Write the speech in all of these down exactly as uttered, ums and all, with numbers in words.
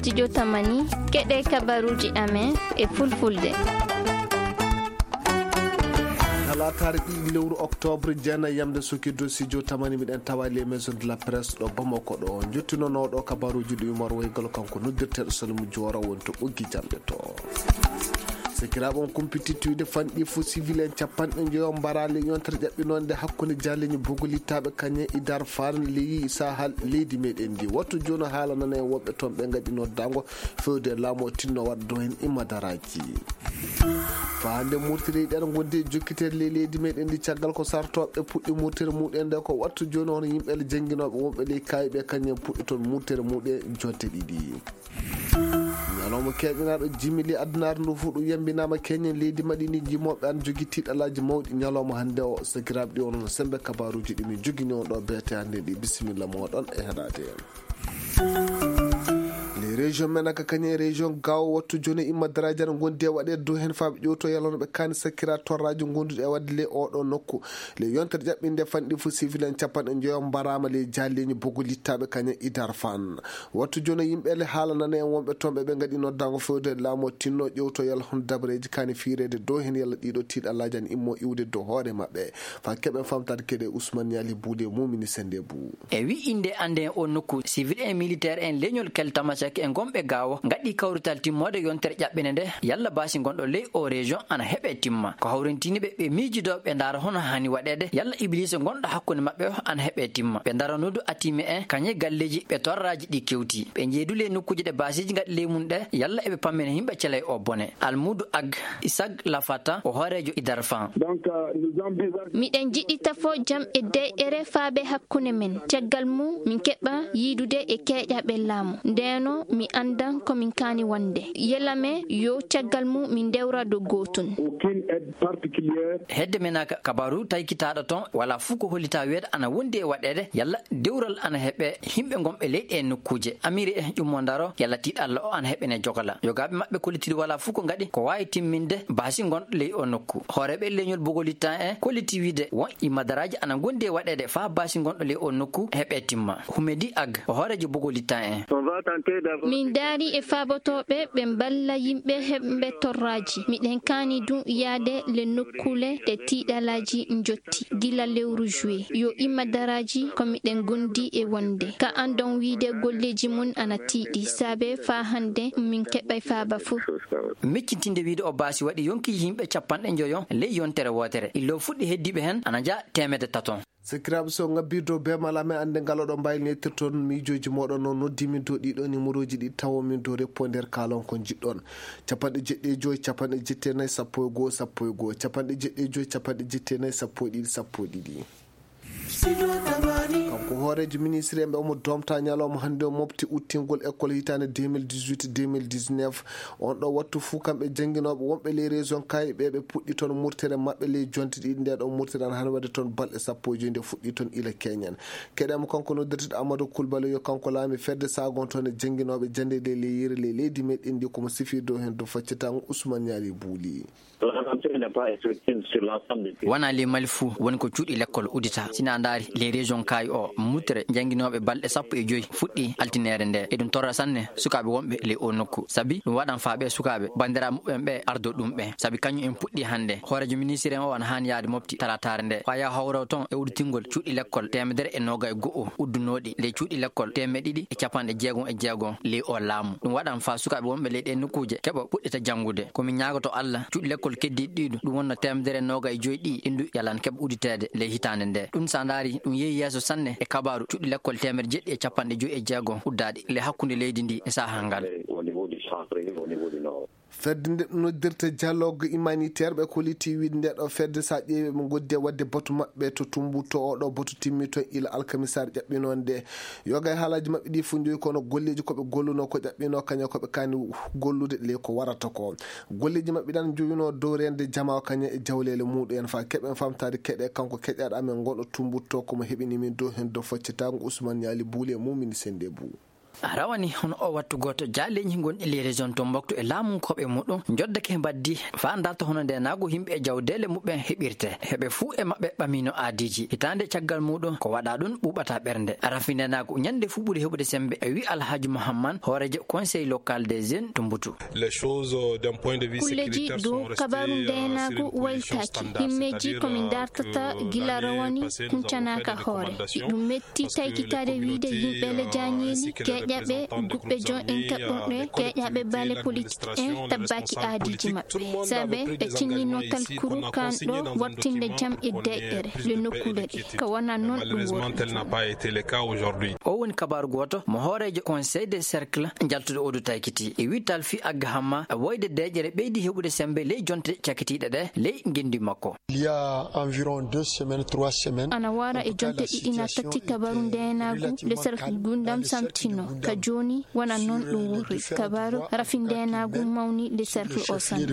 Studio Tamani, keɗee kabaruuji amen e fulfulde. Talaataare ɗiɗi lewru oktoobre, jeenay yamde sokirde Studio Tamani, miɗen tawa les maisons de la presse ɗo Bamako ɗo. Njottinonooɗo kabaruuji ɗi Umar Waygal, kanko noddirteeɗo Salimu Joora, woni to ɓoggi jamɗe to. Sakiraaɓe, on kumpititti wiide fanɗi fuu civil en capanɗe njoyo mbaraali yontere ƴaɓɓinoonde hakkunde jaalleeji bogolittaaɓe kañe Idar Faan ley sahal leydi meɗen ndi. Wattu jooni haala nana en wonɓe toon ɓe ngaɗi noddaango fewde laamu o tinno waɗa dow heen immadaraaji. Faa hannde murtiri ɗen ngondi e jokkiteede ley leydi meɗen ndi caggal ko sartooɓe puɗɗi murtere muɗen nde ko wattu jooni hono yimɓe le jannginooɓe wonɓe ley kaayiɓe kañen puɗɗi toon murtere muɗe jonte ɗiɗi. Ñalawma keeɓinaaɗo jimili addunaare ndu fuu ɗum yambinaama keñen leydi maɗi ndi jimooɓe an jogi tiiɗalaaji mawɗi ñalawma hannde o. Sakiraaɓe ɗi onon sembe kabaruuji ɗi min jogini on ɗo beete hannde ɗi bisimilla mooɗon e heɗaade. Les régions men aka kañe région gaawo wattu jooni imma daraaji ana ngondi e waɗeede dow heen faa ɓe ƴewto yalano ɓe kaani sakkira torraaji ngonduɗi e waɗde ley oɗo nokku. Ley yontere ƴaɓɓinde fanɗi fuu civil en capanɗe njoyo mbaraama ley jaalleeñi bogo littaaɓe kañe Idar Faan. Wattu jooni yimɓe le haala nana en wonɓe toon ɓe ɓe ngaɗi noddaango fewde laamu o tinno ƴewto yalla hono dabareeji kaani fiireede dow heen yalla ɗiɗo tiiɗalaaji ana immo iwde dow hoore maɓɓe. Faa keɓen famtaade keɗe Usman Ñaali Buude mumini sende buu. E wi innde annde en o nokku, civil en militaire en leñol kel Tamasek e ngonɓe gaawo ngaɗi kawrital timmoode yontere ƴaɓɓinde nde yalla baasi ngonɗo ley o région ana heɓe timma. Ko hawrintini ɓe ɓe miijidoo ɓe ndaara hono haani waɗeede yalla ibliisa ngonɗo hakkunde maɓɓe o ana heɓe timma. Ɓe ndaranoo du atime en kañe galleeji ɓe torraaji ɗi kewti. Ɓe njeedu ley nokkuuje ɗe baasiiji ngaɗi ley mum ɗe yalla eɓe pammina yimɓe celay o bone. Almuudu Ag Isaac Lafata o hooreejo Idar Faan. Miɗen njiɗi tafo jam e deeƴere faabe hakkunde men. Caggal mum, min keɓa yiidude e keeƴaaɓe laamu. Ndeenoo, mi anndan ko min kaani wonde. Yela men yo caggal mum min ndewra dow gootun. Hedde men aka kabaaru taykitaaɗo toon, walaa fuu ko hollitaa wiyeede ana wondi e waɗeede yalla dewral ana heɓe yimɓe ngonɓe ley ɗee nokkuuje. Amiri e ƴummo ndaro yalla tiiɗalla o ana heɓene jogala. Yogaaɓe maɓɓe kollitiri walaa fuu ko ngaɗi ko waawi timminde baasi ngonɗo ley o nokku. Hooreeɓe leñol Bogolitan en kolliti wiide won immadaraaji ana ngondi e waɗeede faa baasi ngonɗo ley o nokku heɓe timma. Humedi Ag, o hooreejo Bogolitan en. Min ndaari e faabotooɓe ɓe mballa yimɓe heɓɓe torraaji. Miɗen kaani duu yaade le nokkuule ɗe tiiɗalaaji njotti gila lewru juillet. Yo immadaraaji ko miɗen ngondi e wonde. Ka anndon wiide golleeji mum ana tiiɗi. Saabe faa hannde min keɓay faaba fuu. Miccintinde wiide o baasi waɗi yonki yimɓe capanɗe njoyo ley yontere wootere. Illo fuɗɗi heddiiɓe heen ana njaha teemedde tato. Sakiraaɓe, so ngabbii dow beemal amen annde ngal oɗon mbaawi neetirtoon miijooji mooɗon no noddii min dow ɗii ɗoo nimorooji ɗi tawon min dow reppo nder kaalon ko njiɗɗon. Capanɗe jeɗɗi e joy, capanɗe jeɗɗi e nay, sappo e goo, sappo e goo, capanɗe jeɗɗi e joy, capanɗe jeɗɗi e nay, sappo e ɗiɗi, sappo e ɗiɗi. Kanko hooreejo ministre en ɓe omo doomta ñalawma hannde o mofti uttingol école hitaande deux mille dix-huit deux mille dix-neuf. On ɗoo wattu fuu kamɓe jannginooɓe wonɓe ley région kaayiɓe ɓe puɗɗi toon murtere maɓɓe ley jonte ɗiɗi. Ndee ɗoo murtere ana haani waɗde toon balɗe sappo e joy nde fuɗɗii toon ila keñen. Keɗen mo kanko noddirteeɗo Amadou Coulibaly yo kanko laami fedde saagon toon e jannginooɓe jannde ɗe ley yiyre ley leydi meɗen ndi ko mo sifii dow heen dow faccitaango Ousmane Niari Bouli. Wanaa ley Mali fuu woni ko cuuɗi lekkol udditaa. Si na ndaari ley région Kaayi o, muttere jannginooɓe balɗe sappo e joy fuɗɗii altineere nde. Eɗum torra sanne sukaaɓe wonɓe ley oo nokku. Sabi ɗum waɗan faa ɓee sukaaɓe banndiraaɓe muɓɓen ɓee ardo ɗum ɓe. Sabi kañum en puɗɗii hannde. Hooreejo ministiri en o ana haani yahde mofti talaataare nde. Faa yaha hawra toon e udditingol cuuɗi lekkol teemedere e noogay e go'o uddunooɗi ley cuuɗi lekkol teemeɗɗe ɗiɗi e capanɗe jeegom e jeegom ley oo laamu. Ɗum waɗan faa sukaaɓe wonɓe ley ɗee nokkuuje keɓa puɗɗita janngude. Ko min ñaagoto Alla, cuuɗi lekkol keddiiɗi ɗiɗo, ɗum wonno teemedere e noogay e joy ɗii, ɗi ndu yalan keɓa udditeede ley hitaande ndee. Ɗum, so a ndaari, ɗum yehi yeeso sanne e kabaaru cuuɗi lekkol teemedde jeɗɗi e capanɗe joy e jeegom uddaaɗi ley hakkunde leydi ndii e sahaa ngal. Fedde nde noddirta dialogue humanitaire ɓe kolliti wiide nde ɗoo fedde, so a ƴeewi, ɓe ngoddi e waɗde batu maɓɓe to Tumbuktu, oo ɗoo batu timmi toon ila alkamisaare ƴaɓɓinoonde nde. Yoga e haalaaji maɓɓe ɗii fof njoyi kono golleeji ko ɓe gollunoo ko ƴaɓɓinoo kañum ko ɓe kaani gollude ley ko warata ko. Golleeji maɓɓe ɗan njoyunoo dow reende jamaa o kañum e jawleele muuɗum en. Faa keɓen famtaade keɗe kanko keƴaaɗo amen ngonɗo Tumbuktu ko mo heɓini min dow heen dow faccitaango Usman Ñaali Buuli e Mumini Sennde Buu. A rawani hono oo wattu gooto, jaaleeji gonɗi ley région Tombouctou e laamunkooɓe muɗum njoddake mbaddi faa ndarta hono ndeenaagu yimɓe e jawdeele muɓɓen heɓirtee. Heɓe fuu e maɓɓe ɓamiino aadiiji. Hitaande caggal muɗum ko waɗaa ɗum ɓuuɓataa ɓernde. Rafi ndeenaagu ñannde fuu ɓuri heɓude semmbe, e wii Alhaji Muhammad, hooreejo Conseil local des jeunes to Mbutu. Kulleeji dow kabaaru ndeenaagu waylitaaki. Himmeeji ko min ndartata gila rawani kuncanaaka hoore. Iɗum metti taykitaade wiide yimɓe le jaañeeli, keeƴaɓe guɓɓe jon en kaɓɓorɗe, keeƴaɓe baale politik en tabbaaki aadiiji maɓɓe. Sabe ɓe tinninoo talkuru kaan ɗoo waɗtinde jam e deeƴere le nokkuule ɗe. Ka wonaa non ɗum woni. O woni kabaaru gooto mo hooreejo Conseil des cercles njaltuɗo odu taykiti. E wii Talfi Agga Hamma, woyde deeƴere ɓeydi heɓude semmbe ley jonte cakitiiɗe ɗe ley ngenndi makko. Il y a environ deux semaines, trois semaines, ana wara e jonte ɗiɗi naa tati kabaaru ndeenaagu le cercle Gundam samtino. Ka jooni wonaa non ɗum woni. Kabaaru rafi ndeenaagu mawni le cercle o sanne.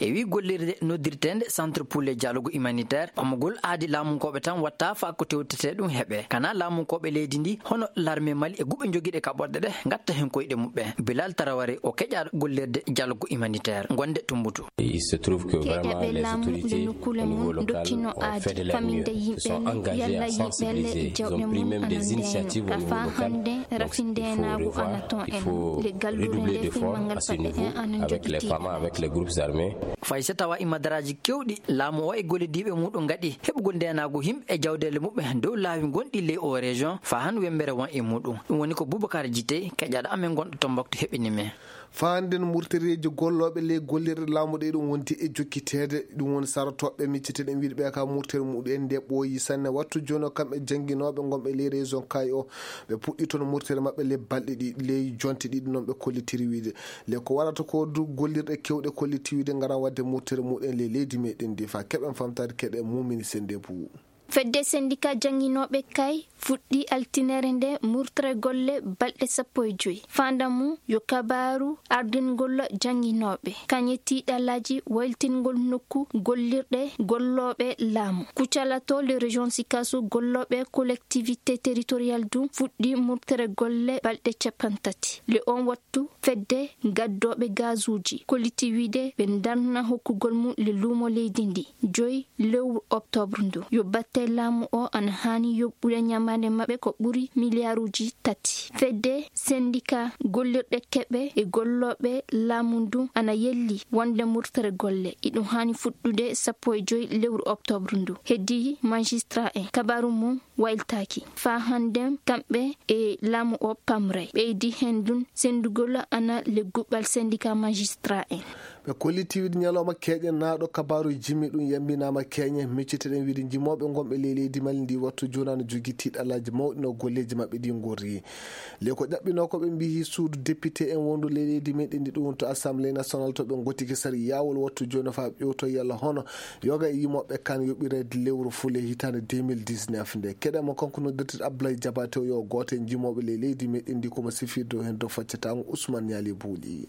E wii gollirde noddirteende Centre pour le dialogue humanitaire, ɓamugol aadi laamunkooɓe tan watta faa ko tewtetee ɗum heɓee. Kanaa laamunkooɓe leydi ndii, hono l'armée Mali e guɓɓe jogiiɗe kaɓorɗe ɗe, ngatta heen koyɗe muɓɓen. Bilal Taraware o keƴaaɗo gollirde dialogue humanitaire ngonde to Mbutu. Keeƴaɓe laamu le nokkuule mum ndokkino aadi faminde yimɓe le, yalla yimɓe le jawɗe mum ana ndeeno. Ka faa hannde rafi ndeenaagu ana ton en. Le galluure nde fimmangal paɗɗe en ana njogitii. Fay so tawaa e madaraaji keewɗi, laamu o e gollidiiɓe muɗum ngaɗi heɓugol ndeenaagu yimɓe e jawdeele muɓɓen dow laawi gonɗi ley oo région, faa han wemmbere won e muɗum. Ɗum woni ko Boubacar Djité, keƴaaɗo amen gonɗo Tombouctou heɓini men. Faa hannden murtereeji gollooɓe ley gollirɗe laamu ɗe ɗum wonti e jokkiteede. Ɗum woni sarotooɓe micciteeɗen wiide ɓe ka murtere muɗum en nde ɓooyi sanne. Wattu jooni o kamɓe jannginooɓe ngonɓe ley région Kayes o, ɓe puɗɗii toon murtere maɓɓe ley balɗe ɗiɗi, ley jonte ɗiɗi non ɓe kollitiri wiide. Le ko warata ko du gollirɗe keewɗe kolliti wiide ngaran waɗde murtere muɗum en ley leydi meɗen ndi faa keɓen famtaade keɗe mumini sennde buu. Fedde sendika jannginooɓe Kayes fuɗɗii altineere nde murtere golle balɗe sappo e joy. Faandamu yo kabaaru ardingol jannginooɓe, kañe tiiɗalaaji, wayltingol nokku gollirɗe gollooɓe laamu. Kucalato le région Sikaso gollooɓe collectivité territoriale dum fuɗɗii murtere golle balɗe cappanɗe tati. Le on wattu fedde gaddooɓe gazuuji kolliti wiide ɓe ndarna hokkugol mum le luumo leydi ndi joy lewru oktoobre ndu. Yo batte laamu o ana haani yoɓɓude ñamaande maɓɓe ko ɓuri miliyaaruuji tati. Fedde sendika gollirɗe keɓe e gollooɓe laamu ndun ana yelli wonde murtere golle iɗum haani fuɗɗude sappo e joy lewru oktoobre ndu. Heddii majistraa en kabaaru mum wayltaaki. Faa hannden kamɓe e laamu o pamray. Ɓeydi heen dun senndugol ana le guɓɓal sendika majistraa en. Ɓe kolliti wiide ñalawma keeñen naaɗo kabaaru jimi ɗum yambinaama keeñen. Micciteɗen wiide jimooɓe ngonɓe ley leydi Mali ndi wattu jooni ana jogii tiiɗalaaji mawɗi no golleeji maɓɓe ɗi ngorri. Le ko ƴaɓɓinoo ko ɓe mbiyi suudu depite en wondu ley leydi meɗen ndi ɗum to assemblée nationale to ɓe ngottike sari yaawol wattu jooni faa ƴewto yalla hono yoga e yimooɓe kan yoɓireede lewru fuu ley hitaande deux mille dix-neuf nde. Keɗen mo kanko noddirteeɗo Abdoulaye Diabaté o yo gooto e jimooɓe ley leydi meɗen ndi ko mo sifirde o heen dow faccataango Ousmane Niali Buuɗi.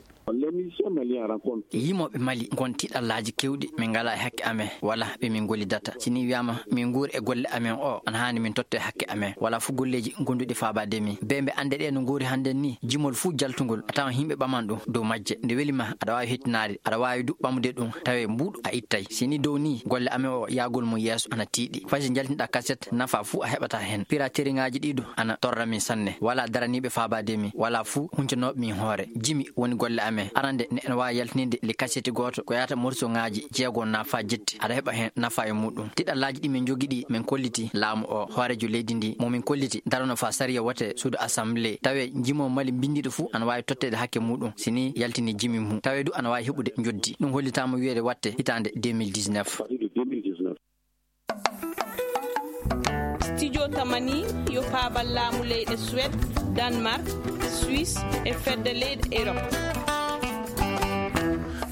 Yimooɓe Mali ngon tiiɗallaaji keewɗi, min ngalaa e hakke amen, walaa ɓe min ngollidata. Si nii wiyaama min nguuri e golle amen o, ana haani min tottee hakke amen. Walaa fuu golleeji gonduɗi faabaade min. Bee mbe annde ɗee no ngoori hannden nii, jimol fuu jaltungol, a tawan yimɓe ɓaman ɗum dow majje. Nde weli ma, aɗa waawi hettinaade, aɗa waawi du ɓamude ɗum, tawee mbuuɗu a ittay. Si nii dow nii, golle amen o yaagol mum yeeso ana tiiɗi. Fay so njaltinɗaa kaset, nafa fuu a heɓataa heen. Pirateriŋaaji ɗii du ana torra min sanne. Walaa daraniiɓe faabaade min, walaa fuu huncanooɓe min hoore. Jimi woni golle amen. Arande, neɗɗo no waawi yaltinde le kaseti gooto ko yaata morsoŋaaji jeego naa faa jetti. Aɗa heɓa heen nafa e muuɗum. Tiɗallaaji ɗi min njogii ɗii, min kolliti laamu o, hooreejo leydi ndii, mo min kolliti darano faa sariya wote suudu assemblée. Tawee jimo Mali mbinndiiɗo fuu ana waawi totteede hakke muuɗum, si nii yaltinii jimi mum. Tawee du ana waawi heɓude njoddi. Ɗum hollitaama wiyeede waɗte hitaande deux mille dix-neuf. Studio Tamani yo paabal laamu leyɗe Suwed, Danemark, Suisse e fedde leyɗe Erop.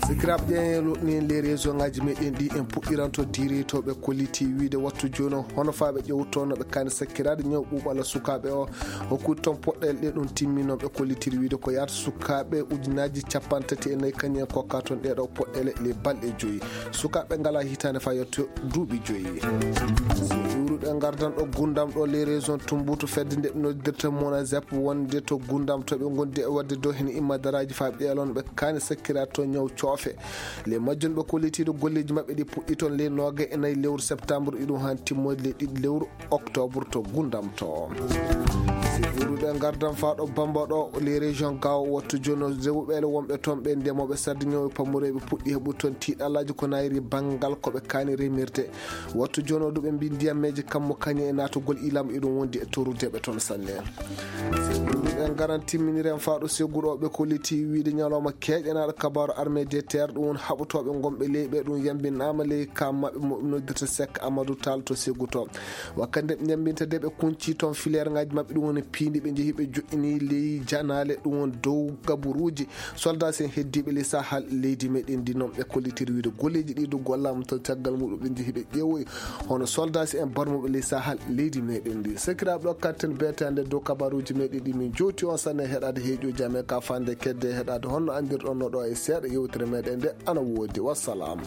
Sikiraaɓe, ƴeewen luutni en les région ŋaaji meɗen ɗi. En puɗɗiranto diiretooɓe kolliti wiide wattu jooni o hono faa ɓe ƴewtoo no ɓe kaani sakkiraade ñaw ɓuuɓala sukaaɓe o. Hokkude toon poɗɗeele ɗe ɗum timminooɓe kollitiri wiide ko yaata sukaaɓe ujunaaji cappanɗe tati e nayi kañum en kokka toon ɗee ɗoo poɗɗeele les balɗe joyi. Sukaaɓe ngalaa hitaande faa yetto duuɓi joyi. Si iwruɗe ngardan ɗo Gundam ɗo les région Tumbutu fedde nde ɓe noddirta Monazep wonde to Gundam to ɓe ngondi e waɗde dow hene imma daraaji faa ɓe ƴeeloo no ɓe kaani sakkiraade to ñaw coofe. Les majjum ɓe kollitiiɗo golleeji maɓɓe ɗi puɗɗii toon les nooga e nayi lewru septembre iɗum haan timmoyde les ɗiɗi lewru octobre to Gundam to. Si iwruɗe ngardan faa ɗo Bamba ɗo les région Gaawo wattu jooni o rewɓe ɓeele wonɓe toon ɓe ndemooɓe sarde ñaw e pammureeɓe puɗɗii heɓude toon tiiɗalaaji ko naayiri banngal ko ɓe kaani remirde. Wattu jooni o du ɓe mbii ndiyammeeji kammu kañe e naatugol ilam iɗum wondi e torrude ɓe toon sanne. Ɓe ngaran timminiren faa ɗo segguɗo ɓe kolliti wiide ñalawma keeƴanaaɗo kabaaru armée de terre ɗum woni haɓotooɓe ngonɓe ley ɓe ɗum yambinaama ley ka maɓɓe mo ɓe noddirta Sek Amadou Tall to segguto. Wakkati nde ɓe njambinta de ɓe kunci toon fileer ŋaaji maɓɓe ɗum woni piindi ɓe njehi ɓe joɗɗini ley janaale ɗum woni dow gaburuuji. Soldaasi en heddiiɓe ley sahal leydi meɗen ndi noon ɓe kollitiri wiide golleeji ɗi du gollaama to caggal muɗum ɓe njehi ɓe ƴeewoyi hono soldaasi en barmuɓe ley sahal leydi meɗen ndi. Sakiraaɓe ɗo katten beetaande dow kabaruuji meɗen ɗi min jowti on sanne heɗaade heeƴuuji amen ka fande kedde heɗaade honno anndirɗon no ɗo e seeɗa yewtere meɗen nde ana woodi. Wassalam.